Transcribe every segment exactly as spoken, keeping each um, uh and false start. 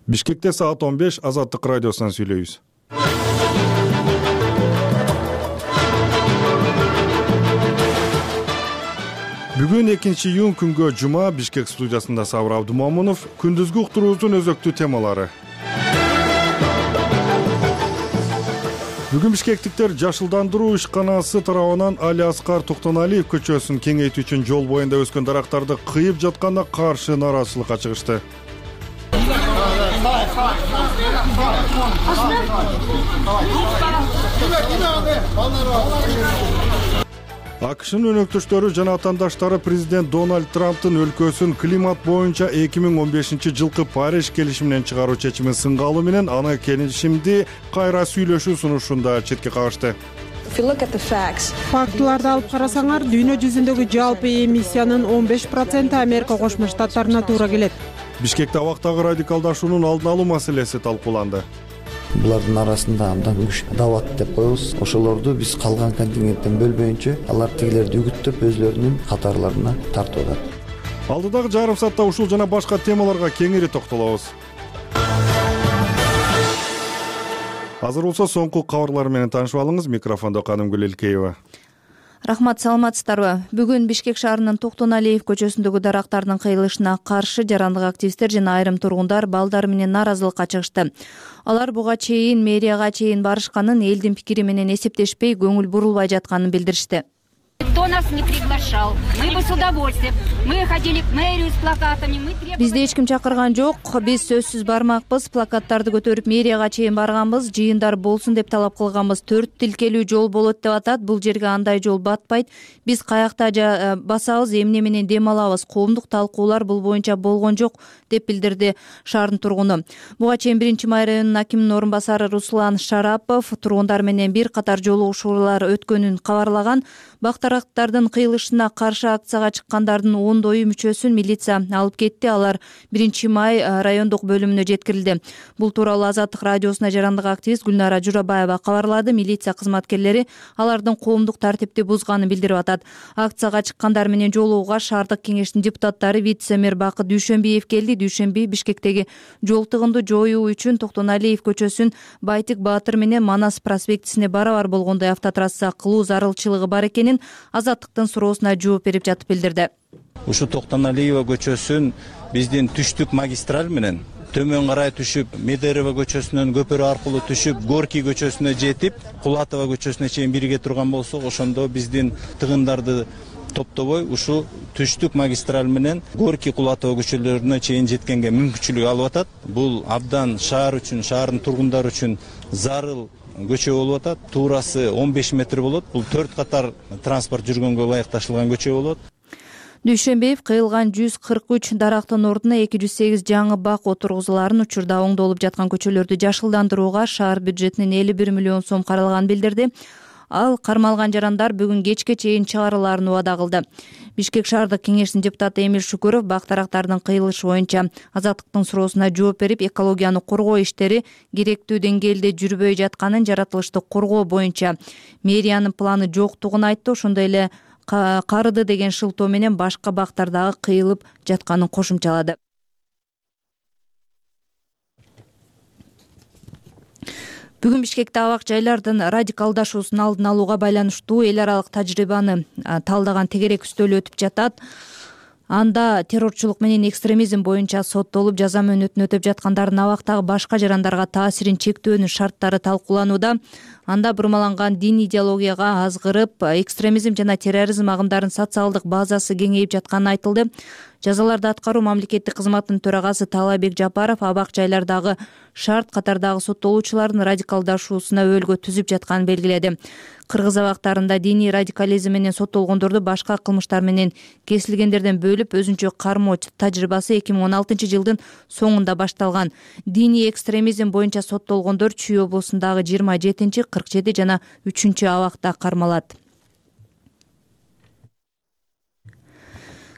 Бишкекте саат он беш Азаттык радиосунан сүйлөйбүз. Бүгүн экинчи июнь күнгө жума. Бишкек студиясында Сабыр Абдумомунов. Күндүзгү уктуруубуздун өзөктүү темалары. Бүгүн бишкектиктер жашылдандыруу ишканасы тарабынан Али Аскар Токтоналиев көчөсүн кеңейтүү үчүн жол боюнда өскөн дарактарды кыйып жатканына каршы нааразычылыкка чыгышты. АКШнын өнөктөштөрү жана атаандаштары президент Дональд Трамптын өлкөсүн климат боюнча эки миң он бешинчи жылкы Париж келишиминен чыгаруу чечимин сынга алуу менен аны келишимди кайра сүйлөшүү сунушунда четке кагышты. Фактыларды алып карасаңар, дүйнө жүзүндөгү жалпы эмиссиянын он беш проценти Америка Кошмо Штаттарына туура келет. Бишкекте абактагы радикалдашуунун алдын алуу маселеси талкууланды. Булардын арасында абдан күч дават деп коебуз. Ошолорду биз калган контингенттен бөлбөйүнчө алар тигилерди үгүттөп өзлөрүнүн катарларына тартып атат. Алдыдагы жарым саатта ушул жана башка темаларга кеңири токтолобуз. Азыр болсо соңку кабарлар менен таанышып алыңыз. Микрофондо Канымгүл Элкеева. Рахмат, саламатсыздарбы? Бүгүн Бишкек шаарынын Токтоналиев көчөсүндөгү дарактардын кыйылышына каршы жарандык активисттер жана айрым тургундар балдар менен нааразылыкка чыгышты. Алар буга чейин мэрияга чейин барышканын, элдин пикири менен эсептешпей, көңүл бурулбай жатканын билдиришти. Кто нас не приглашал, мы бы с удовольствием. Мы ходили к мэрию с плакатами, мы требовали... Бизди эч ким чакырган жок. Биз сөзсүз бармакпыз. Плакаттарды көтөрүп мэрияга чейин барганбыз. Жыйындар болсун деп талап кылганбыз. Төрт тилкелүү жол болот деп атат. Бул жерге андай жол батпайт. Биз каякта басабыз, эмне менен дем алабыз? Коомдук талкуулар бул боюнча болгон жок деп билдирди шаардын тургуну. Буга чейин биринчи май районунун акиминин орун басары Руслан Шарапов тургундар менен бир катар жолугушуулар өткөнүн кабарлаган. Бактарактардын кыйылышына каршы акцияга чыккандардын ондойу мүчөсүн милиция алып кетти. Алар биринчи май райондук бөлүмүнө жеткирилди. Бул тууралуу Азаттык радиосуна жарандык активист Гүлнара Журабаева кабарлады. Милиция кызматкерлери алардын коомдук тартипти бузганын билдирип атат. Акцияга чыккандар менен жолугууга шаардык кеңештин депутаттары вице-мэр Бакыт Дүйшөнбиев келди. Дүйшөнбиев Бишкектеги жол тыгынды жоюу үчүн Токтоналиев көчөсүн Байтик Баатыр менен Манас проспектисине барабар болгондой автотрасса кылуу зарылчылыгы бар экенин Азаттыктын суроосуна жооп берип жатып билдирди. Ушу Токтоналиева көчөсүн биздин түштүк магистраль менен төмөн карай түшүп, Медерева көчөсүнөн көпөрө аркылуу түшүп, Горький көчөсүнө жетип, Кулатова көчөсүнө чейин бирге турган болсок, ошондо биздин тыгындарды топтобой ушу түштүк магистраль менен Горький Кулатова көчөлөрүнө чейин жеткенге мүмкүнчүлүк алып атат. Бул абдан шаар үчүн, шаардын тургундары үчүн зарыл көчө болуп атат. Туурасы он беш метр болот. Бул төрт катар транспорт жүргөнгө ылайыкташылган көчө болот. Дүйшөнбиев кыйылган жүз кырк үч дарактын ордуна эки жүз сегиз жаңы бак отургузуларын, учурда оңдолуп жаткан көчөлөрдү жашылдандырууга шаар бюджетинен элүү бир миллион сом каралганын билдирди. Ал кармалган жарандар бүгүн кечке чейин чыгарылаарын убада кылды. Бишкек шаардык кеңештин депутаты Эмил Шүкүров бактарактардын кыйылышы боюнча Азаттыктын суроосуна жооп берип, экологияны коргоо иштери керектүү деңгээлде жүрбөй жатканын, жаратылышты коргоо боюнча мэриянын планы жоктугун айтты. Ошондой эле Карыды деген шылтоо менен башка бактардагы кыйылып жатканын кошумчалады. Бүгүн Бишкекте абак жайлардын радикалдашуусун алдын алууга байланыштуу эл аралык тажрыйбаны талдаган тегерек үстөлү өтүп жатат. Анда террорчулук менен экстремизм боюнча соттолуп жаза мөөнөтүн өтөп жаткандардын абактагы башка жарандарга таасирин чектөөнүн шарттары талкууланууда. Анда бурмаланган дин идеологияга азгырып, экстремизм жана терроризм агымдарын социалдык базасы кеңейип жатканы айтылды. Жазаларды аткаруу мамлекеттик кызматтын төрагасы Талабек Жапаров абак жайлардагы шарт катардагы соттолуучулардын радикалдашуусуна өөлгө түзүп жатканын белгиледи. Кыргыз абактарында диний радикализм менен соттолгондорду башка кылмыштар менен кесилгендерден бөлүп өзүнчө кармоо тажрыйбасы эки миң он алтынчы жылдын соңунда башталган. Диний экстремизм боюнча соттолгондор Чүй облусундагы жыйырма жетинчи, кырк жети жана үчүнчү абакта кармалат.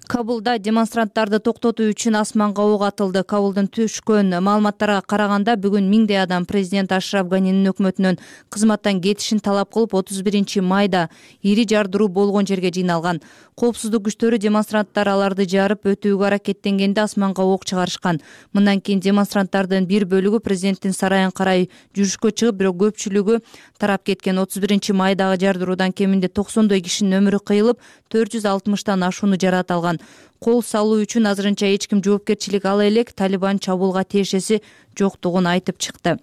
Кабулда демонстранттарды токтотуу үчүн асманга ок атылды. Кабулдун түшкөн маалыматтарга караганда бүгүн миңдей адам президент Ашраф Ганинин өкмөтүнөн кызматтан кетишин талап кылып отуз биринчи майда ири жардыруу болгон жерге жыйналган. Коопсуздук күчтөрү демонстранттар аларды жарып өтүүгө аракеттенгенде асманга ок чыгарышкан. Мындан кийин демонстранттардын бир бөлүгү президенттин сарайын карай жүрүшкө чыгып, бирок көпчүлүгү тарап кеткен. отуз биринчи майдагы жардыруудан кеминде токсондой кишинин өмүрү кыйылып, төрт жүз алтымыштан ашууну жаракат алган. Кол салуу үчүн азырынча эч ким жоопкерчилик ала элек. Талибан чабуулга тиешеси жоктугун айтып чыкты.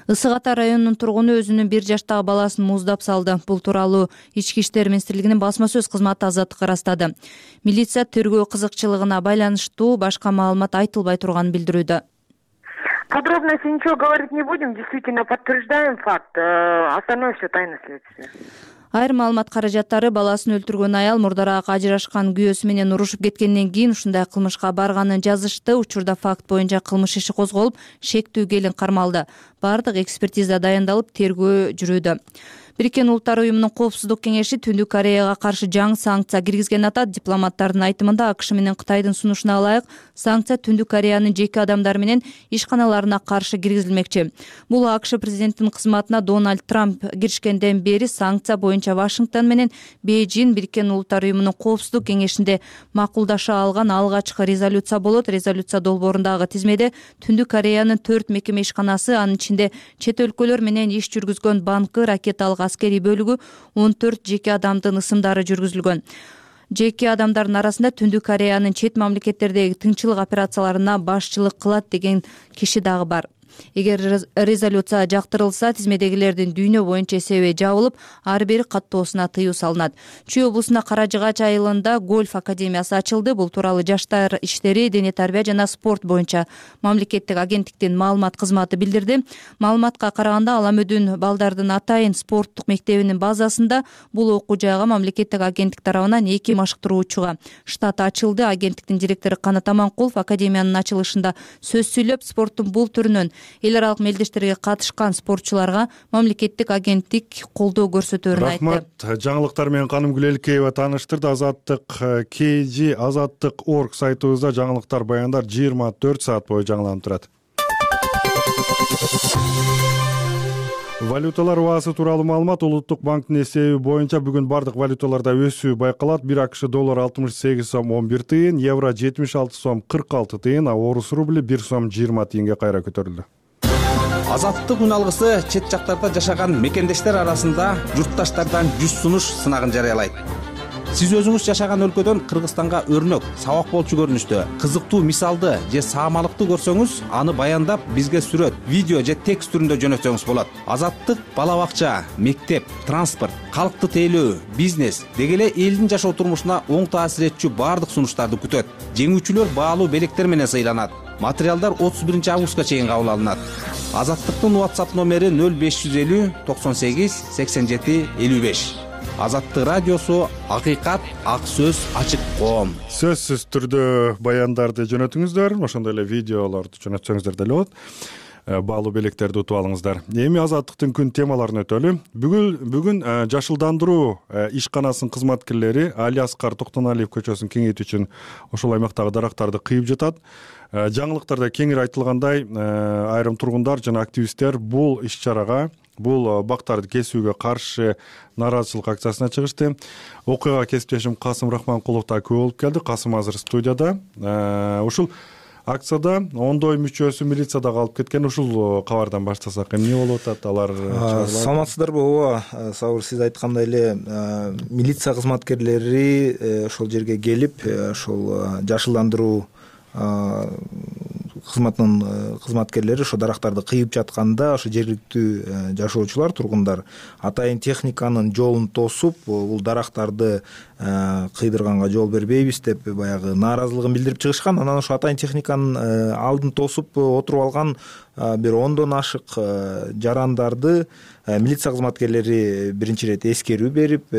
Ысык Ата районунун тургуну өзүнүн бир жаштагы баласын муздап салды. Бул тууралуу Ички иштер министрлигинин басма сөз кызматы Азаттыкка ырастады. Милиция тергөө кызыкчылыгына байланыштуу башка маалымат айтылбай турганын билдирүүдө. Подробности ничего говорить не будем, действительно подтверждаем факт. Остальное все тайна следствия. Айрым маалымат каражаттары баласын өлтүргөн аял мурдараак ажырашкан күйөөсү менен урушуп кеткенден кийин ушундай кылмышка барганын жазышты. Учурда факт боюнча кылмыш иши козголуп, шектүү келин кармалды. Бардык экспертиза дайындалып, тергөө жүрүүдө. Бириккен Улуттар уюмунун Коопсуздук кеңеши Түндүк Кореяга каршы жаңы санкция киргизген атат. Дипломаттардын айтымында АКШ менен Кытайдын сунушуна ылайык санкция Түндүк Кореянын жеке адамдары менен ишканаларына каршы киргизилмекчи. Бул АКШ президентинин кызматына Дональд Трамп киришкенден бери санкция боюнча Вашингтон менен Бейжин Бириккен Улуттар уюмунун Коопсуздук кеңешинде макулдаша алган алгачкы резолюция болот. Резолюция долбоорундагы тизмеде Түндүк Кореянын төрт мекеме ишканасы, анын ичинде чет өлкөлөр менен иш жүргүзгөн банкы, ракеталык аскерий бөлүгү, он төрт жеке адамдын ысымдары жүргүзүлгөн. Жеке адамдардын арасында Түндүк Кореянын чет мамлекеттердеги тынччылык операцияларына башчылык кылат деген киши дагы бар. Эгер резолюция жактырылса, тизмедегилердин дүйнө боюнча эсеби жабылып, ар бири каттоосуна тыюу салынат. Чүй облусунда Кара Жыгач айылында гольф академиясы ачылды. Бул тууралуу Жаштар иштери, дене тарбия жана спорт боюнча мамлекеттик агенттиктин маалымат кызматы билдирди. Маалыматка караганда, Аламөдүн балдардын атайын спорттук мектебинин базасында бул окуу жайга мамлекеттик агенттик тарабынан эки машыктыруучуга штат ачылды. Агенттиктин директору Канат Аманкулов академиянын ачылышында сөз сүйлөп, спорттун бул түрүнөн эл аралык мелдештерге катышкан спортчуларга мамлекеттик агенттик колдоо көрсөтөөрүн айтты. Рахмат. Жаңылыктар менен Каным Гүлелкеева тааныштырды. Азаттык кей жи азаттык точка орг сайтыбызда жаңылыктар, баяндар жыйырма төрт саат бою жаңыланып турат. Валюталар баасы тууралуу маалымат. Улуттук банктын эсеби боюнча бүгүн бардык валюталарда өсүү байкалат. бир АКШ доллар алтымыш сегиз сом он бир тыйын, евро жетимиш алты сом кырк алты тыйын, а орус рубли бир сом жыйырма тыйынга кайра көтөрүлдү. Азаттык үн алгысы чет жактарда жашаган мекендештер арасында журтташтардан жүз сунуш сынагын жарыялайт. Сиз өзүңүз жашаган өлкөдөн Кыргызстанга өрнөк, сабак болчу көрүнүштө, кызыктуу мисалды же саамалыкты көрсөңүз, аны баяндап бизге сүрөт, видео же текст түрүндө жөнөтсөңүз болот. Азаттык бала бакча, мектеп, транспорт, калкты тейлөө, бизнес деги эле элдин жашоо турмушуна оң таасир этчү бардык сунуштарды күтөт. Жеңүүчүлөр баалуу белектер менен сыйланат. Материалдар отуз биринчи августка чейин кабыл алынат. Азаттыктын WhatsApp номери нөл беш жүз элүү токсон сегиз сексен жети элүү беш. Азаттык радиосу, акыйкат, ак сөз, ачык коом. Сөзсүз түрдө баяндарды жөнөтүңүздөр, ошондой эле видеолорду жөнөтсөңүздөр деле болот. Баалуу белектерди утуп алыңыздар. Эми азаттыктын күн темаларын өтөлү. Бүгүн бүгүн жашылдандыруу ишканасынын кызматкерлери Алиаскар Токтоналиев көчөсүн кеңейтүү үчүн ошол аймактагы дарактарды кыйып жатат. Жаңылыктарда кеңири айтылгандай, айрым тургундар жана активисттер бул иш-чарага, бул бактарды кесүүгө каршы нааразычылык акциясына чыгышты. Окуяга кесиптешим Касым Рахманкулов да күбө болуп келди. Касым азыр студияда. Ушул акцияда ондой мүчөсү милицияда калып кеткен. Ушул кабардан баштасак, эмне болуп атат? Алар саламатсыздарбы? Ооба, Сабыр, сиз айткандай эле милиция кызматкерлери ошол жерге келип, ошол жашылдандыруу кызматынын кызматкерлери ошо дарактарды кыйып жатканда, ошо жергиликтүү жашоочулар, тургундар атайын техниканын жолун тосуп, бул дарактарды кыйдырганга жол бербейбиз деп баягы нааразылыгын билдирип чыгышкан. Анан ошо атайын техниканын алдын тосуп отуруп алган бир ондон ашык жарандарды милиция кызматкерлери биринчи ирет эскерүү берип,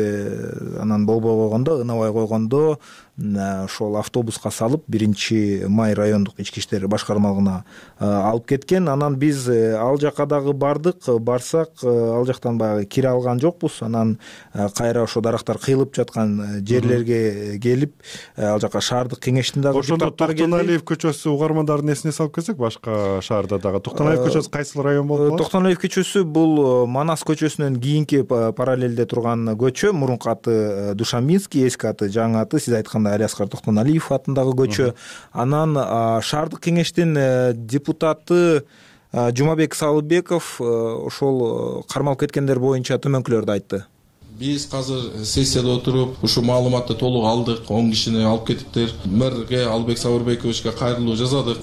анан болбой койгондо, ынабай койгондо ошол автобуска салып биринчи май райондук ички иштер башкармалыгына алып кеткен. Анан биз ал жака дагы бардык. Барсак ал жактан баягы кире алган жокпуз. Анан кайра ошо дарактар кыйылып жаткан жерлерге келип ал жака шаардык кеңештин дагы ошондо Токтоналиев көчөсү угармандардын эсине салып кетсек, башка шаарда дагы Токтоналиев көчөсү кайсыл район болуп калат? Токтоналиев көчөсү бул Манас көчөсүнөн кийинки параллелде турган көчө. Мурунку аты Душамбинский, эски аты, жаңы аты сиз айткандай Алиаскар Токтоналиев атындагы көчө. Анан шаардык кеңештин депутаты Жумабек Салыбеков ошол кармалып кеткендер боюнча төмөнкүлөрдү айтты. Биз азыр сессияда отуруп ушу маалыматты толук алдык. он кишини алып кетиптир. Мэрге Албек Сабырбековичке кайрылуу жасадык.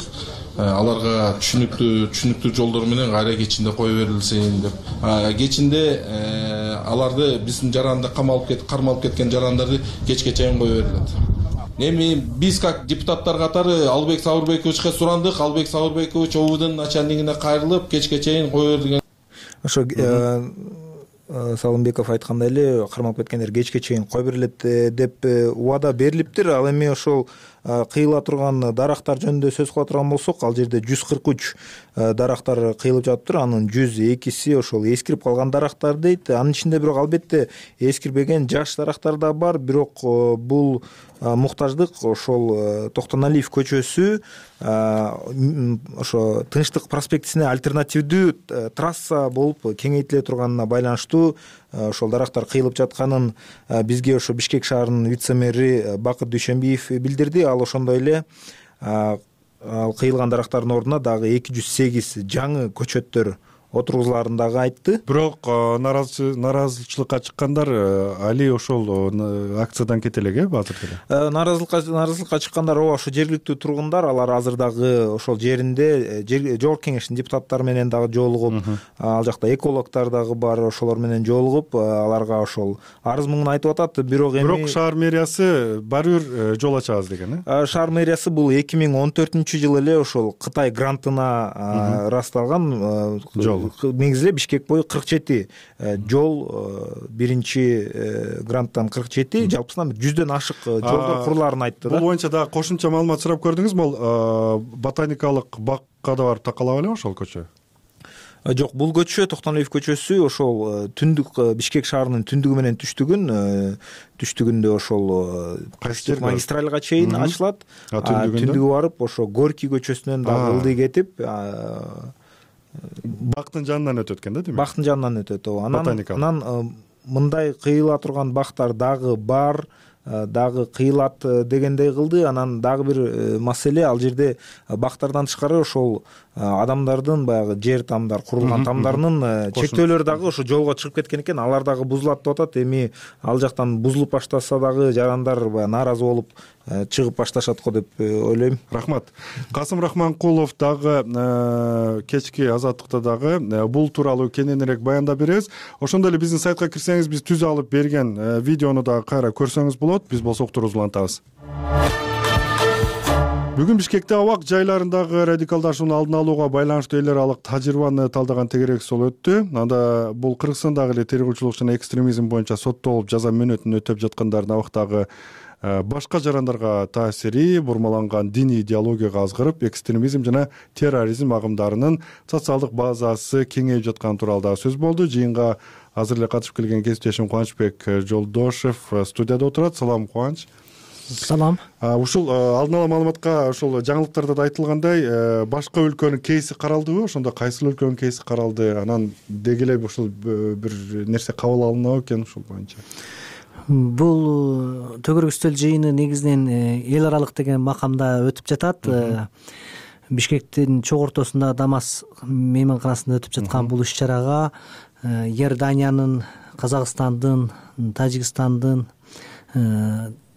Аларга түшүнүктүү түшүнүктүү жолдор менен кайра кечинде кое берилсин деп. Кечинде аларды биздин жаранда камалып кетип, кармалып кеткен жарандарды кечке чейин кое берилет. Эми биз как депутаттар катары Албек Сабырбековичке сурандык. Албек Сабырбекович ОВДнын начальнигине кайрылып, кечке чейин кое берилген. Ошо Салымбеков айткандай эле кармалып кеткендер кечке чейин кое берилет деп убада берилиптир. Ал эми ошол кыйыла турган дарактар жөнүндө сөз кыла турган болсок, ал жерде жүз кырк үч дарактар кыйылып жатыптыр. Анын жүз экиси ошол эскирип калган дарактар дейт. Анын ичинде бирок албетте эскирбеген жаш дарактар да бар. Бирок бул муктаждык ошол Токтоналиев көчөсү ошо Тынчтык проспектисине альтернативдүү трасса болуп кеңейтиле турганына байланыштуу ошол дарактар кыйылып жатканын бизге ошо Бишкек шаарынын вице-мэри Бакыт Дүйшөнбиев билдирди. Ал ошондой эле ал кыйылган дарактардын ордуна дагы эки жүз сегиз жаңы көчөттөр отургузулаарын дагы айтты. Бирок нааразычылыкка чыккандар али ошол акциядан кете элек, э, азыр деле. Нааразылыкка нааразылыкка чыккандар ооба ошо жергиликтүү тургундар, алар азыр дагы ошол жеринде жогорку кеңештин депутаттары менен дагы жолугуп, ал жакта экологдор дагы бар, ошолор менен жолугуп, аларга ошол арыз муңун айтып атат. Бирок эми Бирок шаар мэриясы баары бир жол ачабыз деген, э? Шаар мэриясы бул эки миң он төртүнчү жылы эле ошол Кытай грантына ырасталган жол. Негизи эле Бишкек бою кырк жети жол, биринчи гранттан кырк жети, жалпысынан жүздөн ашык жолдор курулаарын айтты да. Бул боюнча дагы кошумча маалымат сурап көрдүңүзбү? Бул ботаникалык бакка да барып такалап эле ошол көчө? Жок, бул көчө Токтоналиев көчөсү ошол түндүк Бишкек шаарынын түндүгү менен түштүгүн түштүгүндө ошол кайсы магистральга чейин ачылат. Түндүгү барып ошо Горький көчөсүнөн дагы ылдый кетип бактын жанынан өтөт экен да, демек. Бактын жанынан өтөт, ооба. Анан анан мындай кыйыла турган бактар дагы бар, дагы кыйылат дегендей кылды. Анан дагы бир маселе, ал жерде бактардан тышкары ошол адамдардын баягы жер тамдар, курулган тамдарынын чектөөлөрү дагы ошо жолго чыгып кеткен экен. Алар дагы бузулат деп атат. Эми ал жактан бузулуп баштаса дагы жарандар баягы нааразы болуп чыгып башташат го деп ойлойм. Рахмат. Касым Рахманкулов дагы кечки азаттыкта дагы бул тууралуу кененирээк баяндап беребиз. Ошондой эле биздин сайтка кирсеңиз, биз түзүп алып берген видеону дагы кайра көрсөңүз болот. Биз болсо уктуруубузду улантабыз. Бүгүн Бишкекте абак жайларындагы радикалдашуунун алдын алууга байланыштуу эл аралык тажрыйбаны талдаган тегерек сол өттү. Анда бул Кыргызстандагы эле террорчулук жана экстремизм боюнча соттолуп жаза мөөнөтүн өтөп жаткандардын абактагы башка жарандарга таасири, бурмаланган диний идеологияга азгырып, экстремизм жана терроризм агымдарынын социалдык базасы кеңейип жатканы тууралуу дагы сөз болду. Жыйынга азыр эле катышып келген кесиптешим Кубанычбек Жолдошев студияда отурат. Салам, Кубаныч. Салам. Ушул алдын ала маалыматка ошол жаңылыктарда да айтылгандай, башка өлкөнүн кейси каралдыбы? Ошондо кайсыл өлкөнүн кейси каралды? Анан деги эле ушул бир нерсе кабыл алынабы экен ушул боюнча? Бул төгөрөк үстөл жыйыны негизинен эл аралык деген макамда өтүп жатат. Бишкектин чок ортосунда Дамас мейманканасында өтүп жаткан бул иш-чарага Иорданиянын, Казакстандын, Тажикстандын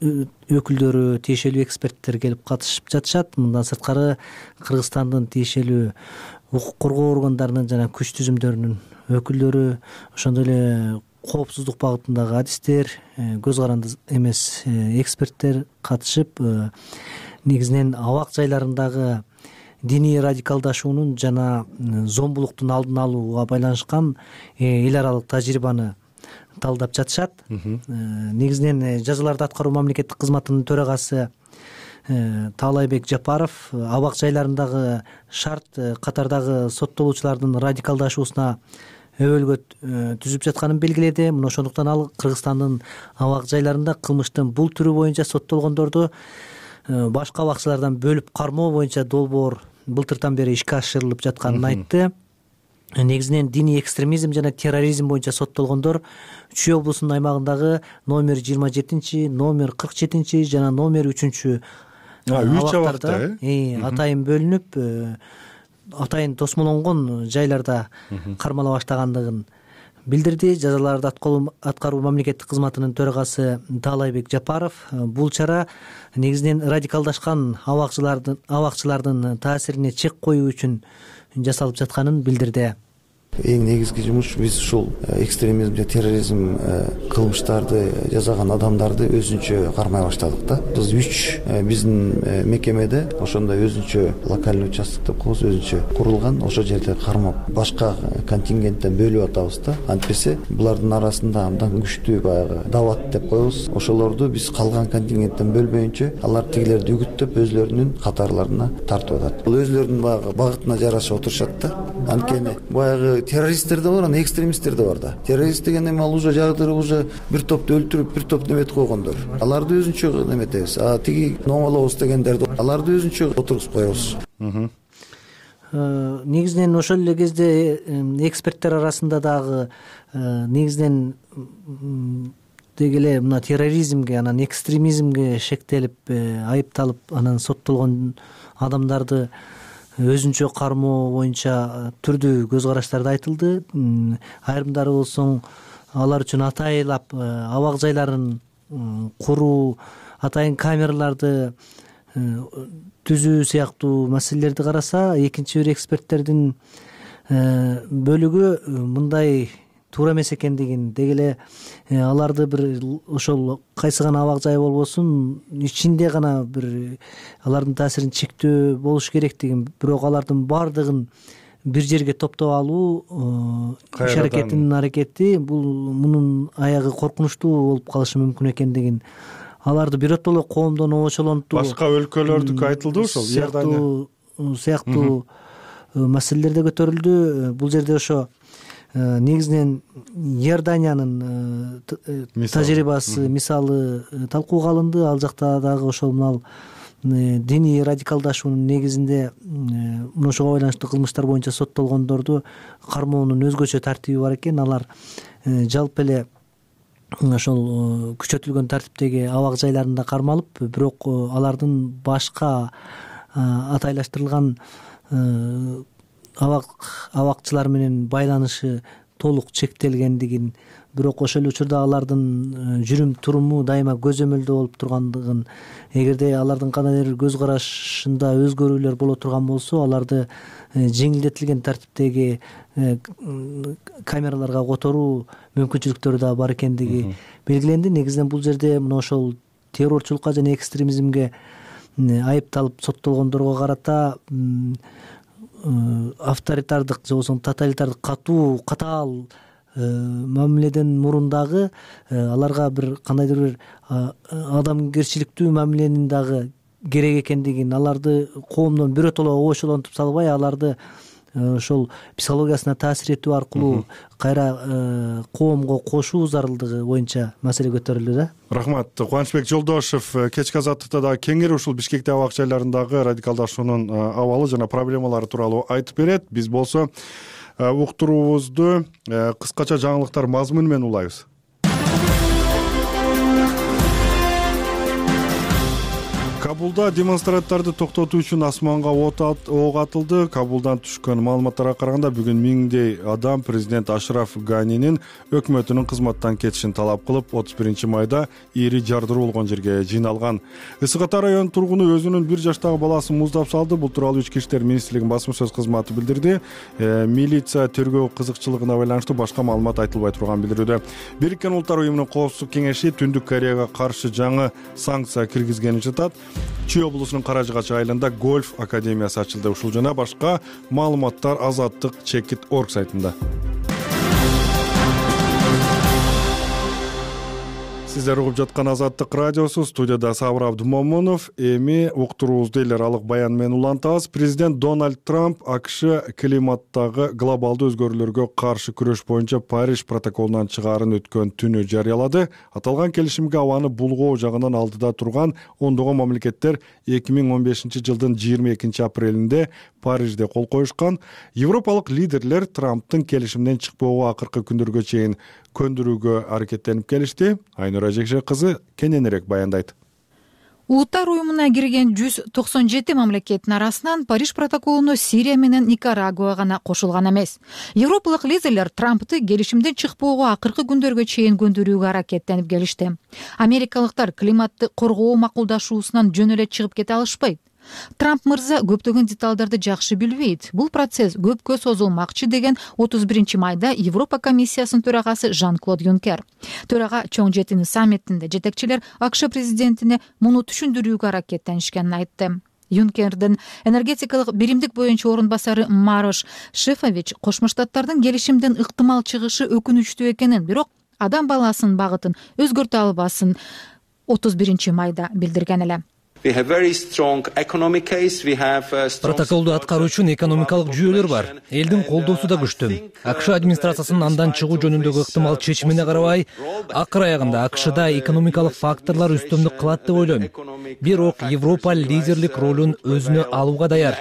өкүлдөрү, тиешелүү эксперттер келип катышып жатышат. Мындан сырткары Кыргызстандын тиешелүү укук коргоо органдарынын жана күч түзүмдөрүнүн өкүлдөрү, ошондой эле коопсуздук багытындагы адистер, көз каранды эмес эксперттер катышып, негизинен абак жайларындагы диний радикалдашуунун жана зомбулуктун алдын алууга байланышкан эл аралык тажрыйбаны талдап жатышат. Негизинен жазаларды аткаруу мамлекеттик кызматынын төрагасы Таалайбек Жапаров абак жайларындагы шарт катардагы соттолуучулардын радикалдашуусуна өбөлгө түзүп жатканын белгиледи. Мына ошондуктан ал Кыргызстандын абак жайларында кылмыштын бул түрү боюнча соттолгондорду башка абакчылардан бөлүп кармоо боюнча долбоор былтыртан бери ишке ашырылып жатканын айтты. Негизинен диний экстремизм жана терроризм боюнча соттолгондор Чүй облусунун аймагындагы номер жыйырма жетинчи, номер кырк жетинчи жана номер үчүнчү абактарда атайын бөлүнүп, атайын тосмолонгон жайларда кармала баштагандыгын билдирди. Жазаларды аткаруу мамлекеттик кызматынын төрагасы Таалайбек Жапаров бул чара негизинен радикалдашкан абакчылардын абакчылардын таасирине чек коюу үчүн жасалып жатканын билдирди. Эң негизги жумуш биз ушул экстремизм же терроризм кылмыштарды жасаган адамдарды өзүнчө кармай баштадык да. Биз үч биздин мекемеде ошондой өзүнчө локальный участок деп коебуз, өзүнчө курулган, ошол жерде кармап башка контингенттен бөлүп атабыз да. Антпесе булардын арасында абдан күчтүү баягы дават деп коебуз. Ошолорду биз калган контингенттен бөлбөйүнчө алар тигилерди үгүттөп өзлөрүнүн катарларына тартып атат. Бул өзлөрүнүн баягы багытына жараша отурушат да. Анткени баягы террористтер да бар, анан экстремисттер да бар да. Террорист деген эми ал уже жагдырып уже бир топду өлтүрүп, бир топ неметип койгондор. Аларды өзүнчө неметебиз. А тиги номолобуз дегендерди аларды өзүнчө отургузуп коебуз. Негизинен ошол эле кезде эксперттер арасында дагы негизинен деги эле мына терроризмге, анан экстремизмге шектелип айыпталып, анан соттолгон адамдарды өзүнчө кармоо боюнча түрдүү көз караштарды айтылды. Айрымдары болсоң алар үчүн атайлап абак жайларын куруу, атайын камераларды түзүү сыяктуу маселелерди караса, экинчи бир эксперттердин бөлүгү мындай туура эмес экендигин, деги эле аларды бир ошол кайсы гана абак жай болбосун ичинде гана бир алардын таасирин чектөө болуш керектигин, бирок алардын баардыгын бир жерге топтоп алуу иш аракетинин аракети бул мунун аягы коркунучтуу болуп калышы мүмкүн экендигин, аларды биротоло коомдон обочолонтуу, башка өлкөлөрдүкү айтылды ошол Иордания сыяктуу маселелер да көтөрүлдү. Бул жерде ошо негизинен Иорданиянын тажрыйбасы, мисалы талкууга алынды. Ал жакта дагы ошол мынал диний радикалдашуунун негизинде мына ошого байланыштуу кылмыштар боюнча соттолгондорду кармоонун өзгөчө тартиби бар экен. Алар жалпы эле ошол күчөтүлгөн тартиптеги абак жайларында кармалып, бирок алардын башка атайлаштырылган абак абакчылар менен байланышы толук чектелгендигин, бирок ошол эле учурда алардын жүрүм туруму дайыма көзөмөлдө болуп тургандыгын, эгерде алардын кандайдыр бир көз карашында өзгөрүүлөр боло турган болсо, аларды жеңилдетилген тартиптеги камераларга которуу мүмкүнчүлүктөрү да бар экендиги белгиленди. Негизинен бул жерде мына ошол террорчулукка жана экстремизмге айыпталып соттолгондорго карата авторитардык же болбосо тоталитардык катуу катаал мамиледен мурун дагы аларга бир кандайдыр бир адамгерчиликтүү мамиленин дагы керек экендигин, аларды коомдон биротоло обочолонтуп салбай, аларды ошол психологиясына таасир этүү аркылуу кайра коомго кошуу зарылдыгы боюнча маселе көтөрүлдү да. Рахмат. Кубанычбек Жолдошев кечки азаттыкта дагы кеңири ушул Бишкекте абак жайларындагы радикалдашуунун абалы жана проблемалары тууралуу айтып берет. Биз болсо уктуруубузду кыскача жаңылыктар мазмуну менен улайбыз. Кабулда демонстранттарды токтотуу үчүн асманга ок атылды. Кабулдан түшкөн маалыматтарга караганда бүгүн миңдей адам президент Ашраф Ганинин өкмөтүнүн кызматтан кетишин талап кылып, отуз биринчи майда ири жардыруу болгон жерге жыйналган. Ысык Ата районунун тургуну өзүнүн бир жаштагы баласын муздап салды. Бул тууралуу Ички иштер министрлигинин басма сөз кызматы билдирди. Милиция тергөө кызыкчылыгына байланыштуу башка маалымат айтылбай турганын билдирүүдө. Бириккен Улуттар уюмунун Коопсуздук кеңеши Түндүк Кореяга каршы жаңы санкция киргизгени жатат. Чүй облусунун Каражыгач айылында гольф академиясы ачылды. Ушул жана башка маалыматтар Азаттык чекит точка орг сайтында. Сиздер угуп жаткан Азаттык радиосу, студияда Сабыр Абдумомунов. Эми уктуруубузду эл аралык баян менен улантабыз. Президент Дональд Трамп АКШ климаттагы глобалдуу өзгөрүүлөргө каршы күрөш боюнча Париж протоколунан чыгаарын өткөн түнү жарыялады. Аталган келишимге абаны булгоо жагынан алдыда турган ондогон мамлекеттер эки миң он бешинчи жылдын жыйырма экинчи апрелинде Парижде кол коюшкан. Европалык лидерлер Трамптын келишимден чыкпоого акыркы күндөргө чейин көндүрүүгө аракеттенип келишти. Айнура Жекше кызы кененирээк баяндайт. Улуттар уюмуна кирген жүз токсон жети мамлекеттин арасынан Париж протоколуна Сирия менен Никарагуа гана кошулган эмес. Европалык лидерлер Трампты келишимден чыкпоого акыркы күндөргө чейин көндүрүүгө аракеттенип келишти. Америкалыктар климатты коргоо макулдашуусунан жөн эле чыгып кете алышпайт. Трамп мырза көптөгөн деталдарды жакшы билбейт. Бул процесс көпкө созулмакчы деген отуз биринчи майда Европа комиссиясынын төрагасы Жан-Клод Юнкер. Төрага чоң жетини саммитинде жетекчилер АКШ президентине муну түшүндүрүүгө аракеттенишкенин айтты. Юнкердин энергетикалык биримдик боюнча орун басары Марош Шефович Кошмо Штаттардын келишимден ыктымал чыгышы өкүнүчтүү экенин, бирок адам баласынын багытын өзгөртө албасын отуз биринчи майда билдирген эле. Протоколду аткаруу үчүн экономикалык жүйөлөр бар. Элдин колдоосу да күчтүү. АКШ администрациясынын андан чыгуу жөнүндөгү ыктымал чечимине карабай, акыр аягында АКШда экономикалык факторлор үстөмдүк кылат деп ойлойм. Бирок Европа лидерлик ролун өзүнө алууга даяр.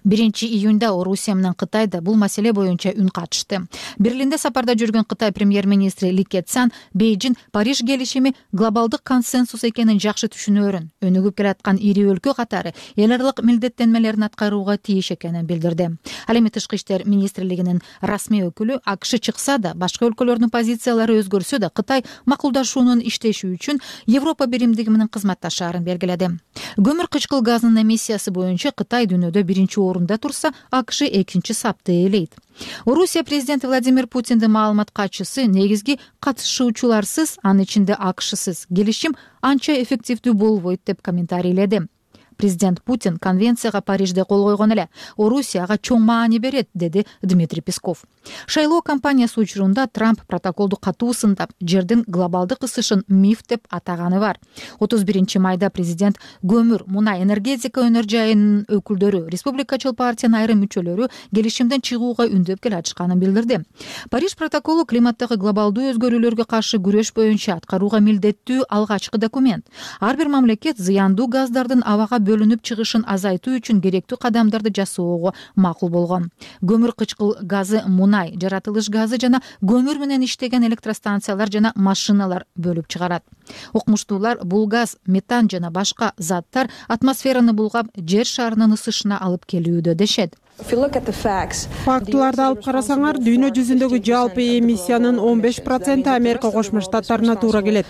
биринчи июнда Орусия менен Кытай да бул маселе боюнча үн катышты. Берлинде сапарда жүргөн Кытай премьер-министри Ли Кэцян Бейжин Париж келишими глобалдык консенсус экенин жакшы түшүнөөрүн, өнүгүп келаткан ири өлкө катары эл аралык милдеттенмелерин аткарууга тийиш экенин билдирди. Ал эми Тышкы иштер министрлигинин расмий өкүлү АКШ чыкса да, башка өлкөлөрдүн позициялары өзгөрсө да, Кытай макулдашуунун иштеши үчүн Европа биримдиги менен кызматташаарын белгиледи. Көмүр кычкыл газынын эмиссиясы боюнча Кытай дүйнөдө биринчи орунда турса, АКШ экинчи сапты ээлейт. Орусия президенти Владимир Путиндин маалымат катчысы негизги катышуучуларсыз, анын ичинде АКШсыз келишим анча эффективдүү болбойт деп комментарийледи. Президент Путин конвенцияга Парижде кол койгон эле. Орусияга чоң маани берет, деди Дмитрий Песков. Шайлоо кампаниясы учурунда Трамп протоколду катуу сындап, жердин глобалдык ысышын миф деп атаганы бар. отуз биринчи майда президент көмүр, мунай, энергетика өнөр жайынын өкүлдөрү, республикачыл партиянын айрым мүчөлөрү келишимден чыгууга үндөп келатышканын билдирди. Париж протоколу климаттагы глобалдуу өзгөрүүлөргө каршы күрөш боюнча аткарууга милдеттүү алгачкы документ. Ар бир мамлекет зыяндуу газдардын абага бөлүнүп чыгышын азайтуу үчүн керектүү кадамдарды жасоого макул болгон. Көмүр кычкыл газы, мунай, жаратылыш газы жана көмүр менен иштеген электростанциялар жана машиналар бөлүп чыгарат. Окумуштуулар бул газ, метан жана башка заттар атмосфераны булгап, жер шарынын ысышына алып келүүдө дешет. Фактыларды алып карасаңар, дүйнө жүзүндөгү жалпы эмиссиянын он беш проценти Америка Кошмо Штаттарына туура келет.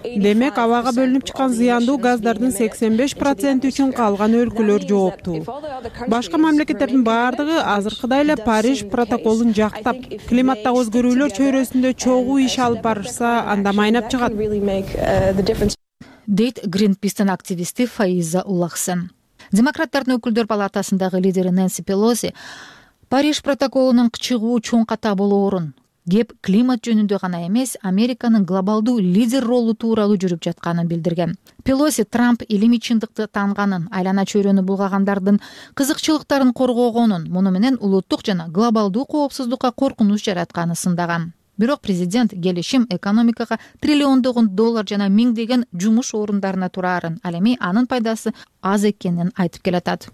Демек, абага бөлүнүп чыккан зыяндуу газдардын сексен беш проценти үчүн калган өлкөлөр жооптуу. Башка мамлекеттердин баардыгы азыркыдай эле Париж протоколун жактап, климаттагы өзгөрүүлөр чөйрөсүндө чогуу иш алып барышса, анда майнап чыгат, дейт Greenpeace'тин активисти Фаиза Улахсен. Демократтардын өкүлдөр палатасындагы лидери Нэнси Пелоси Париж протоколунун чыгуу чоң ката болоорун, кеп климат жөнүндө гана эмес, Американын глобалдуу лидер ролу тууралуу жүрүп жатканын билдирген. Пелоси Трамп илимий чындыкты таанганын, айлана чөйрөнү булгагандардын кызыкчылыктарын коргогонун, муну менен улуттук жана глобалдуу коопсуздукка коркунуч жаратканын сындаган. Бирок президент келишим экономикага триллиондогон доллар жана миңдеген жумуш орундарына турарын, ал эми анын пайдасы аз экенин айтып келатат.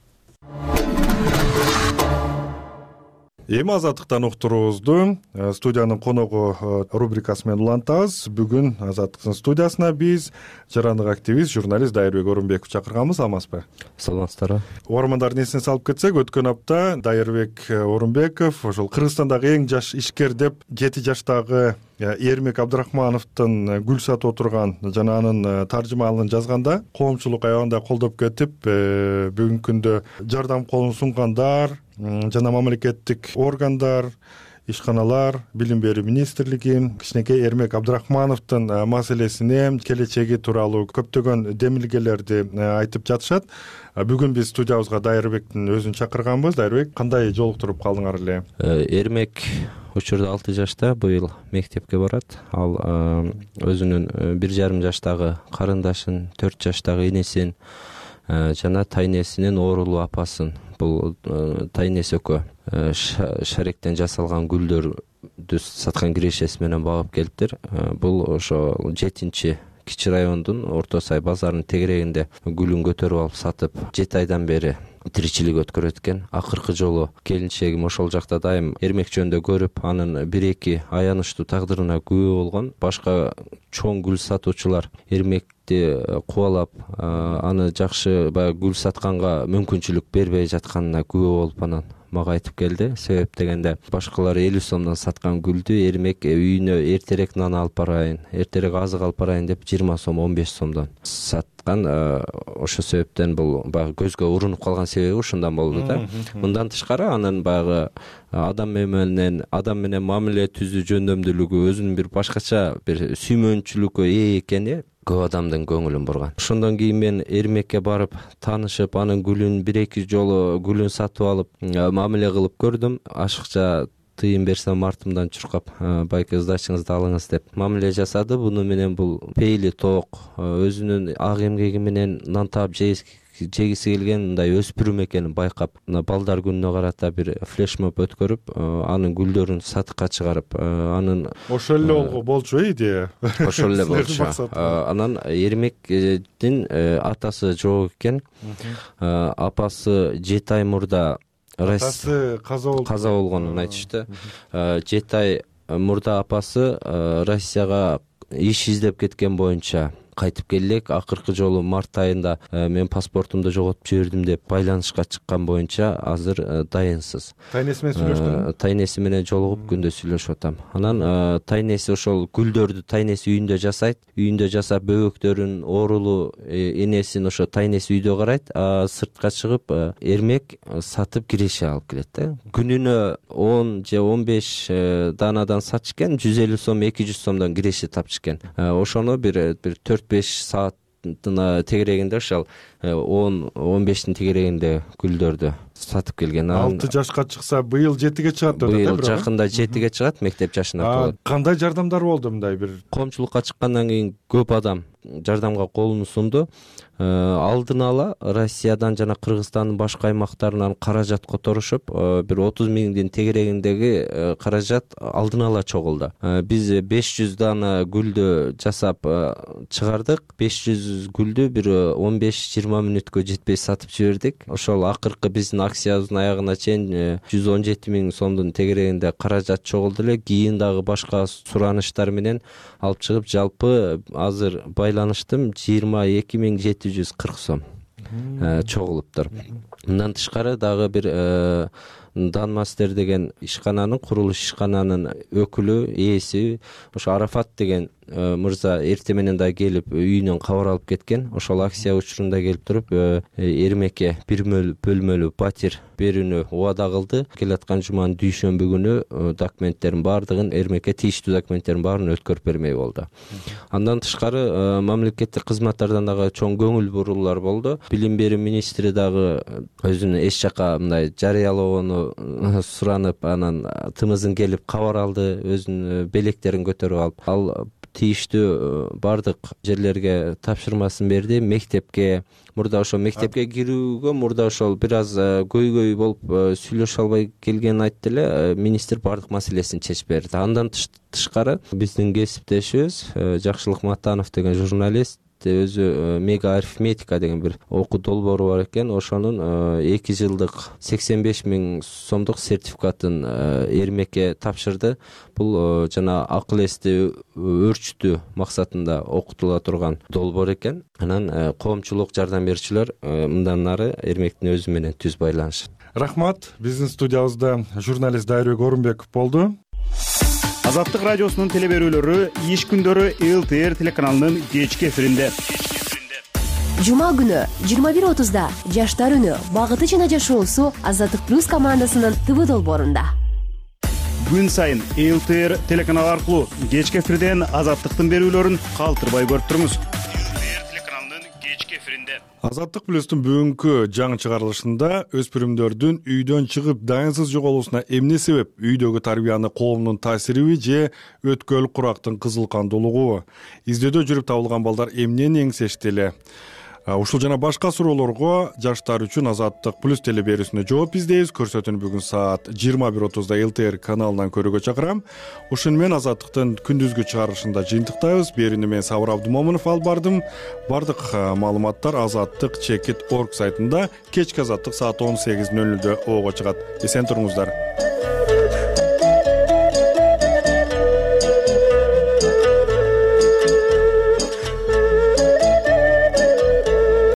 Эми Азаттыктан уктуруубузду студиянын коногу рубрикасы менен улантабыз. Бүгүн Азаттыктын студиясына биз жарандык активист, журналист Дайырбек Орунбековду чакырганбыз. Амансызбы? Саламатсыздарбы. Угармандардын эсине салып кетсек, өткөн апта Дайырбек Орунбеков ошол Кыргызстандагы эң жаш ишкер деп жети жаштагы Эрмек Абдрахмановдун гүл сатып отурган жана анын таржымалын жазганда коомчулук аябагында колдоп кетип, бүгүнкү күндө жардам колун сунгандар жана мамлекеттик органдар, ишканалар, билим берүү министрлиги кичинекей Эрмек Абдрахмановдун маселесине, келечеги тууралуу көптөгөн демилгелерди айтып жатышат. Бүгүн биз студиябызга Дайырбектин өзүн чакырганбыз. Дайырбек, кандай жолуктуруп калдыңар эле? Эрмек учурда алты жашта, быйыл мектепке барат. Ал өзүнүн бир жарым жаштагы карындашын, төрт жаштагы энесин жана тайнесинин оорулуу апасын, бул тайнеси экөө шаректен жасалган гүлдөрдү саткан кирешеси менен багып келиптир. Бул ошо жетинчи Кичи райондун Орто Сай базарынын тегерегинде гүлүн көтөрүп алып сатып, жети айдан бери тиричилик өткөрөт экен. Акыркы жолу келинчегим ошол жакта дайым эрмек жөнүндө көрүп, анын бир эки аянычтуу тагдырына күбө болгон. Башка чоң гүл сатуучулар эрмекти кубалап, аны жакшы баягы гүл сатканга мүмкүнчүлүк бербей жатканына күбө болуп анан мага айтып келди. Себеп дегенде башкалар элүү сомдон саткан гүлдү эрмек үйүнө эртерээк нан алып барайын, эртерээк азык алып барайын деп жыйырма сом, он беш сомдон саткан. Ошол себептен бул баягы көзгө урунуп калган себеби ушундан болду да. Мындан тышкары анын баягы адам менен адам менен мамиле түзүү жөндөмдүүлүгү, өзүнүн бир башкача бир сүймөнчүлүккө ээ экени көп адамдын көңүлүн бурган. Ошондон кийин мен эрмекке барып таанышып, анын гүлүн бир эки жолу гүлүн сатып алып, мамиле кылып көрдүм. Ашыкча тыйын берсем артымдан чуркап, байке сдачыңызды алыңыз деп мамиле жасады. Буну менен бул пейили тоок, өзүнүн ак эмгеги менен нан таап жегиси келген мындай өспүрүм экенин байкап, балдар күнүнө карата бир флешмоб өткөрүп, анын гүлдөрүн сатыкка чыгарып, анын ошол эле болчу идея. Ошол эле болчу. Анан эрмектин атасы жок экен. Апасы жети ай мурда атасы каза болгонун айтышты. Жети ай мурда апасы Россияга иш издеп кеткен боюнча кайтып келдик. Акыркы жолу март айында мен паспортумду жоготуп жибердим деп байланышка чыккан боюнча азыр дайынсыз. Тайнеси менен сүйлөштүм. Тайнеси менен жолугуп күндө сүйлөшүп атам. Анан тайнеси ошол гүлдөрдү тайнеси үйүндө жасайт. Үйүндө жасап бөбөктөрүн, оорулуу энесин ошо тайнеси үйдө карайт. Сыртка чыгып эрмек сатып киреше алып келет да. Күнүнө он же он беш даанадан сатчу экен, жүз элүү сом, эки жүз сомдон киреше тапчу экен. Ошону бир бир төрт беш сааттын тегерегинде ошол он он бештин тегерегинде гүлдөрдү сатып келген. алты жашка чыкса, быйыл жетиге чыгат деп атат. Быйыл жакында жетиге чыгат, мектеп жашына толот. Кандай жардамдар болду мындай бир? Коомчулукка чыккандан кийин көп адам жардамга колун сунду. Алдын ала Россиядан жана Кыргызстандын башка аймактарынан каражат которушуп, бир отуз миңдин тегерегиндеги каражат алдын ала чогулду. Биз беш жүз дана гүлдү жасап чыгардык. беш жүз гүлдү бир он беш жыйырма мүнөткө жетпей сатып жибердик. Ошол акыркы биздин акциябыздын аягына чейин жүз он жети миң сомдун тегерегинде каражат чогулду эле. Кийин дагы башка сураныштар менен алып чыгып, жалпы азыр байланыштым жыйырма эки миң жети жүз кырк сом чогулуптур. Мындан тышкары дагы бир Данмастер деген ишкананын, курулуш ишкананын өкүлү, ээси, ошо Арафат деген мырза эрте менен да келип үйүнөн кабар алып кеткен. Ошол акция учурунда келип туруп эрмекке бир бөлмөлүү батир берүүнү убада кылды. Келаткан жуманын дүйшөмбү күнү документтерин баардыгын, эрмекке тийиштүү документтерин баарын өткөрүп бермей болду. Андан тышкары мамлекеттик кызматтардан дагы чоң көңүл буруулар болду. Билим берүү министри дагы өзүнүн эч жака мындай жарыялоону суранып, анан тымызын келип кабар алды, өзүнүн белектерин көтөрүп алып, ал тийиштүү бардык жерлерге тапшырмасын берди. Мектепке мурда ошол мектепке кирүүгө мурда ошол бир аз көйгөй болуп сүйлөшө албай келгенин айтты эле. Министр бардык маселесин чечип берди. Андан тышкары биздин кесиптешибиз Жакшылык Матанов деген журналист өзү мега арифметика деген бир окуу долбоору бар экен. Ошонун эки жылдык сексен беш миң сомдук сертификатын эрмекке тапшырды. Бул жана акыл эсти өөрчүтүү максатында окутула турган долбоор экен. Анан коомчулук жардам берүүчүлөр мындан нары эрмектин өзү менен түз байланышат. Рахмат. Биздин студиябызда журналист Дайырбек Орунбеков болду. Азаттык радиосунун теле берүүлөрү иш күндөрү эл тэ эр телеканалынын кечки эфиринде. Жума күнү жыйырма бир отузда Жаштар үнү багыты жана жашоосу Азаттык плюс командасынын ТВ долбоорунда. Күн сайын эл тэ эр телеканалы аркылуу кечки эфирден Азаттыктын берүүлөрүн калтырбай көрүп туруңуз. эл тэ эр телеканалынын кечки эфиринде. Азаттык плюстун бүгүнкү жаңы чыгарылышында өспүрүмдөрдүн үйдөн чыгып дайынсыз жоголуусуна эмне себеп, үйдөгү тарбияны коомдун таасириби же өткөл курактын кызыл кандуулугу, издөдө жүрүп табылган балдар эмнени эңсешти эле? Ушул жана башка суроолорго жаштар үчүн Азаттык плюс телеберүүсүнө жооп издейбиз. Көрсөтүүнү бүгүн саат жыйырма бир отузда эл тэ эр каналынан көрүүгө чакырам. Ушуну менен Азаттыктын күндүзгү чыгарылышында жыйынтыктайбыз. Берүүнү мен Сабыр Абдымомунов алып бардым. Бардык маалыматтар азаттык чекит точка орг сайтында, кечки Азаттык саат он сегиз ноль нөлдө ого чыгат. Эсен туруңуздар.